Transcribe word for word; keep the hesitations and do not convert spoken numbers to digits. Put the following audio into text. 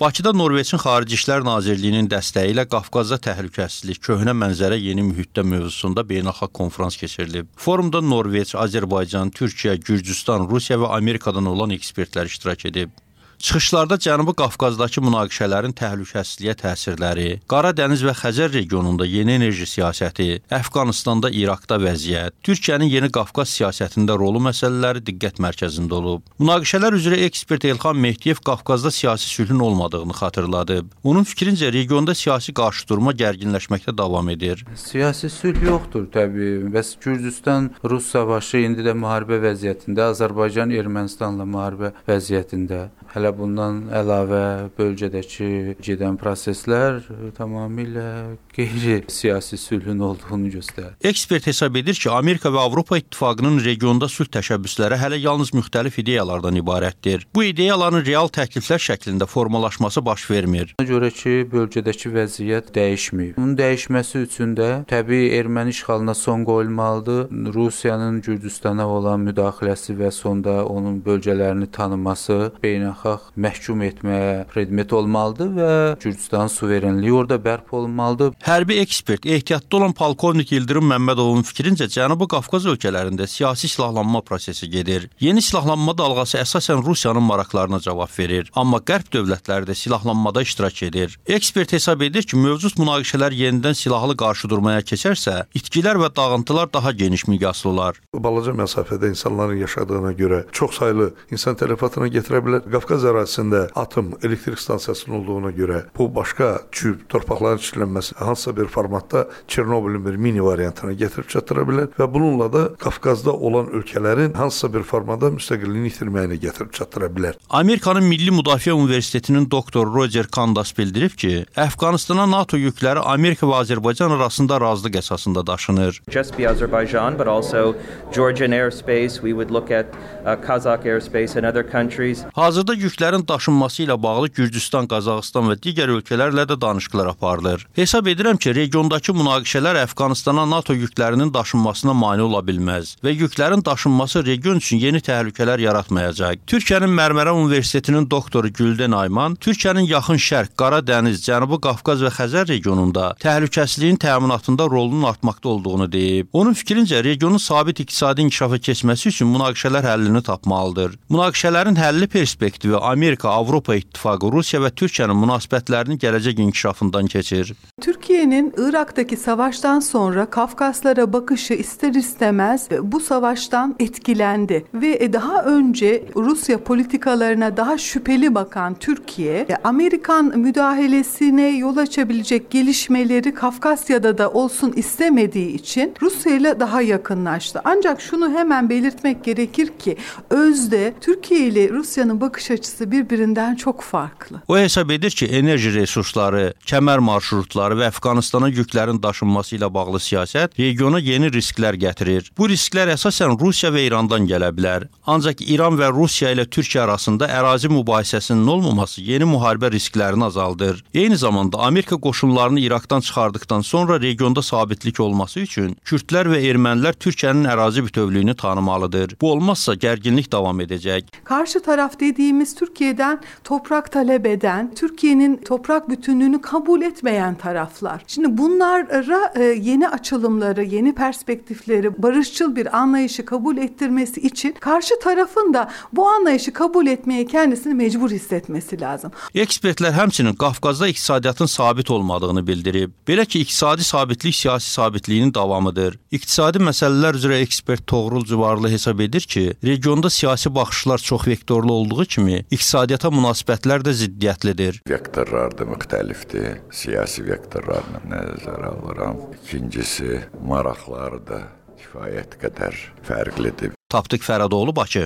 Bakıda Norveçin Xarici İşlər Nazirliyinin dəstəyi ilə Qafqazda təhlükəsizlik, köhnə mənzərə yeni mühitdə mövzusunda beynəlxalq konfrans keçirilib. Forumda Norveç, Azərbaycan, Türkiyə, Gürcüstan, Rusiya və Amerikadan olan ekspertlər iştirak edib. Çıxışlarda Cənubi Qafqazdakı münaqişələrin təhlükəsizliyə təsirləri, Qara Dəniz və Xəzər regionunda yeni enerji siyasəti, Əfqanistanda, İraqda vəziyyət, Türkiyənin yeni Qafqaz siyasətində rolu məsələləri diqqət mərkəzində olub. Münaqişələr üzrə ekspert Elxan Mehdiyev Qafqazda siyasi sülhün olmadığını xatırladıb. Onun fikrincə regionda siyasi qarşıdurma gərginləşməkdə davam edir. Siyasi sülh yoxdur təbii. Bəs Gürcüstan-Rus savaşı indi də müharibə vəziyyətində, Azərbaycan Ermənistanla müharibə vəziyyətində. Hələ bundan əlavə bölgədəki gedən proseslər tamamilə qeyri-siyasi sülhün olduğunu göstərir. Ekspert hesab edir ki, Amerika və Avropa İttifaqının regionda sülh təşəbbüsləri hələ yalnız müxtəlif ideyalardan ibarətdir. Bu ideyaların real təkliflər şəklində formalaşması baş vermir. Ona görə ki, bölgədəki vəziyyət dəyişməyib. Bunun dəyişməsi üçün də təbii erməni işğalına son qoyulmalıdır. Rusiyanın Gürcüstana olan müdaxiləsi və sonda onun bölgələrini tanıması beynəlxalq məhkum etməyə predmet olmalıdır və Gürcüstanın suverenliyi orada bərpa olmalıdır. Hərbi ekspert, ehtiyatda olan polkovnik İldırım Məmmədovun fikrincə Cənubi Qafqaz ölkələrində siyasi silahlanma prosesi gedir. Yeni silahlanma dalğası əsasən Rusiyanın maraqlarına cavab verir, amma qərb dövlətləri də silahlanmada iştirak edir. Ekspert hesab edir ki, mövcud münaqişələr yenidən silahlı qarşıdurmaya keçərsə, itkilər və dağıntılar daha geniş miqyaslı olar. Balaca məsafədə insanların yaşadığına görə çox saylı insan tələfatına gətirə bilər. Qafqaz ərazisində atom elektrik stansiyasının olduğuna görə bu başqa küp torpaqların çirklənməsi hansısa bir formatda Çernobylin bir mini variantına gətirib çatdıra bilər və bununla da Qafqazda olan ölkələrin hansısa bir formada müstəqilliyini itirməyinə gətirib çatdıra bilər. Amerikanın Milli Müdafiə Universitetinin doktor Roger Kandas bildirib ki, Əfqanistana NATO yükləri Amerika və Azərbaycan arasında razılıq əsasında daşınır. Just be Azerbaijan, but also Georgian airspace. We would look at uh, Kazakh airspace and other countries. Hazırda yüklərin daşınması ilə bağlı Gürcüstan, Qazaxıstan və digər ölkələrlə də danışıqlar aparılır. Hesab edirəm ki, regiondakı münaqişələr Əfqanistana NATO yüklərinin daşınmasına mane ola bilməz və yüklərin daşınması region üçün yeni təhlükələr yaratmayacaq. Türkiyənin Mərmərə Universitetinin doktoru Gülden Ayman, Türkiyənin Yaxın Şərq, Qara Dəniz, Cənubi Qafqaz və Xəzər regionunda təhlükəsizliyin təminatında rolunun artmaqda olduğunu deyib. Onun fikrincə, regionun sabit iqtisadi inkişafa keçməsi üçün münaqişələr həllini tapmalıdır. Münaqişələrin həlli perspektivi Amerika, Avropa İttifaqı, Rusiya və Türkiyənin münasibətlərinin gələcək inkişafından keçir. Türkiye'nin Irak'taki savaştan sonra Kafkaslara bakışı ister istemez bu savaştan etkilendi ve daha önce Rusya politikalarına daha şüpheli bakan Türkiye, Amerikan müdahalesine yol açabilecek gelişmeleri Kafkasya'da da olsun istemediği için Rusya ile daha yakınlaştı. Ancak şunu hemen belirtmek gerekir ki özde Türkiye ile Rusya'nın bakış açısı birbirinden çok farklı. O hesab edir ki, enerji resursları, kəmər marşrutları və Əfqanistana yüklərin daşınması ilə bağlı siyasət regiona yeni risklər gətirir. Bu risklər əsasən Rusiya və İrandan gələ bilər. Ancaq İran və Rusiya ilə Türkiyə arasında ərazi mübahisəsinin olmaması yeni müharibə risklərini azaldır. Eyni zamanda Amerika qoşunlarını İraqdan çıxardıqdan sonra regionda sabitlik olması üçün Kürdlər və ermənilər Türkiyənin ərazi bütövlüyünü tanımalıdır. Bu olmazsa gərginlik davam edəcək. Karşı taraf dediğimiz Türkiye'den toprak talep eden, Türkiye'nin toprak bütünlüğünü kabul etmeyen taraflar. Şimdi bunlara yeni açılımları, yeni perspektifleri, barışçıl bir anlayışı kabul ettirmesi için karşı tarafın da bu anlayışı kabul etmeye kendisini mecbur hissetmesi lazım. Ekspertlər həmçinin Qafqazda iqtisadiyyatın sabit olmadığını bildirib. Belə ki, iqtisadi sabitlik siyasi sabitliyinin davamıdır. İqtisadi məsələlər üzrə ekspert Toğrul Cüvarlı hesab edir ki, regionda siyasi baxışlar çox vektorlu olduğu kimi, iqtisadiyyata münasibətlər də ziddiyyətlidir. Vektorlar da müxtəlifdir. Siyasi vektorlarla nəzərə alıram. İkincisi, maraqlar da kifayət qədər fərqlidir. Tapdıq Fərədoğlu, Bakı.